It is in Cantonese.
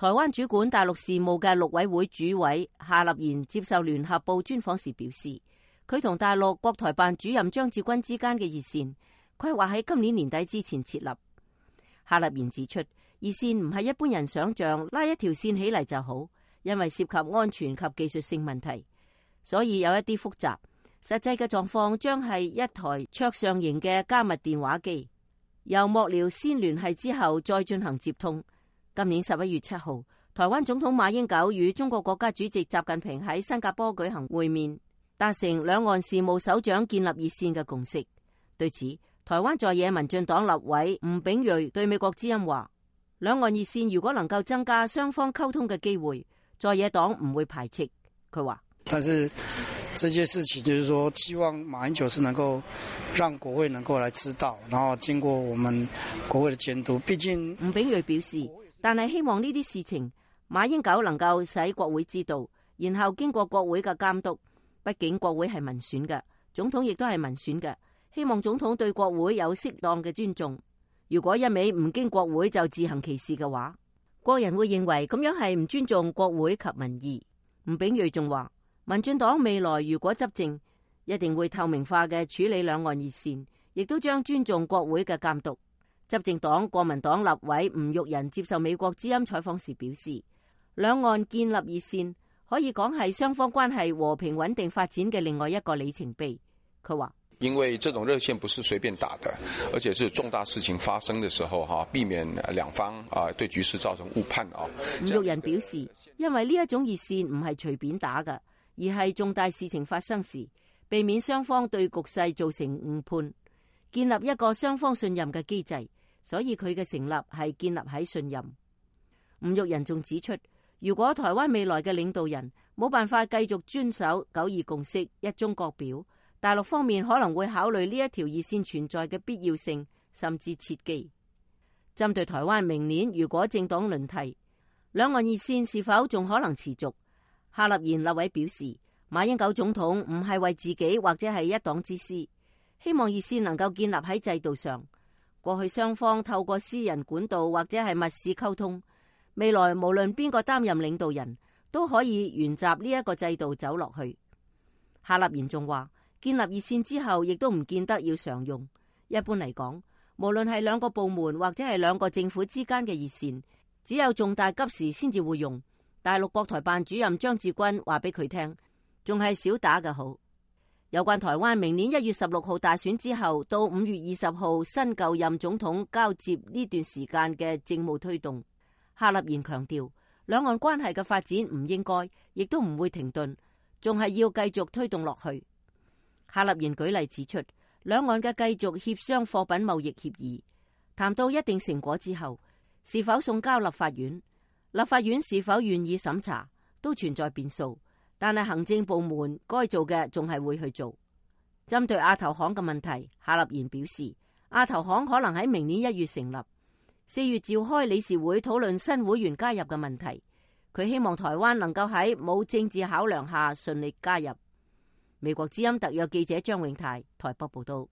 台灣主管大陸事務嘅陸委會主委夏立言接受聯合報專訪時表示，佢同大陸國台辦主任張志軍之間嘅熱線規劃喺今年年底之前設立。夏立言指出，熱線唔係一般人想象拉一條線起嚟就好，因為涉及安全及技術性問題，所以有一啲複雜。實際嘅狀況將係一台桌上型嘅加密電話機，由幕僚先聯繫之後再進行接通。今年11月7號，台灣總統馬英九與中國國家主席習近平喺新加坡舉行會面，達成兩岸事務首長建立熱線嘅共識。對此，台灣在野民進黨立委吳秉叡對美國之音話，兩岸熱線如果能夠增加雙方溝通嘅機會，在野黨唔會排斥。佢話，但是這些事情就是說，希望馬英九是能夠讓國會能夠來知道，然後經過我們國會的監督。畢竟吳秉叡表示，但係希望呢啲事情馬英九能夠使國會知道，然後經過國會嘅監督。畢竟國會係民選嘅，總統亦都係民選嘅，希望總統對國會有適當嘅尊重。如果一味唔經國會就自行其事嘅話，國人會認為咁樣係唔尊重國會及民意。吳秉叡仲話，民進黨未來如果執政，一定會透明化嘅處理兩岸熱線，亦都將尊重國會嘅監督。執政黨國民黨立委吳育仁接受美國之音採訪時表示，兩岸建立熱線可以講係雙方關係和平穩定發展嘅另外一個里程碑。佢話，因為這種熱線不是隨便打的，而且是重大事情發生的時候避免兩方對局勢造成誤判。吳育仁表示，因為呢一種熱線唔係隨便打嘅，而係重大事情發生時，避免雙方對局勢造成誤判，建立一個雙方信任嘅機制，所以佢嘅成立係建立喺信任。吳育仁仲指出，如果台灣未來嘅領導人冇辦法繼續遵守九二共識、一中各表，大陸方面可能會考慮呢一條熱線存在嘅必要性，甚至切機。針對台灣明年如果政黨輪替，兩岸熱線是否仲可能持續？夏立言立委表示，馬英九總統唔係為自己或者係一黨之私，希望熱線能夠建立喺制度上。過去雙方透過私人管道或者係密室溝通，未來無論邊個擔任領導人，都可以沿襲呢一個制度走落去。夏立言仲話，建立熱線之後，亦都唔見得要常用。一般嚟講，無論係兩個部門或者係兩個政府之間嘅熱線，只有重大急事先至會用。大陸國台辦主任張志軍話俾佢聽，仲係少打嘅好。有關台灣明年1月16號大選之後到5月20號新舊任總統交接呢段時間嘅政務推動，夏立言強調，兩岸關係嘅發展唔應該，亦都唔會停頓，仲係要繼續推動落去。夏立言舉例指出，兩岸嘅繼續協商貨品貿易協議，談到一定成果之後，是否送交立法院，立法院是否願意審查，都存在變數。但係行政部門該做嘅仲係會去做。針對亞投行嘅問題，夏立言表示，亞投行可能喺明年1月成立，4月召開理事會討論新會員加入嘅問題。佢希望台灣能夠喺冇政治考量下順利加入。美國之音特約記者張永泰台北報道。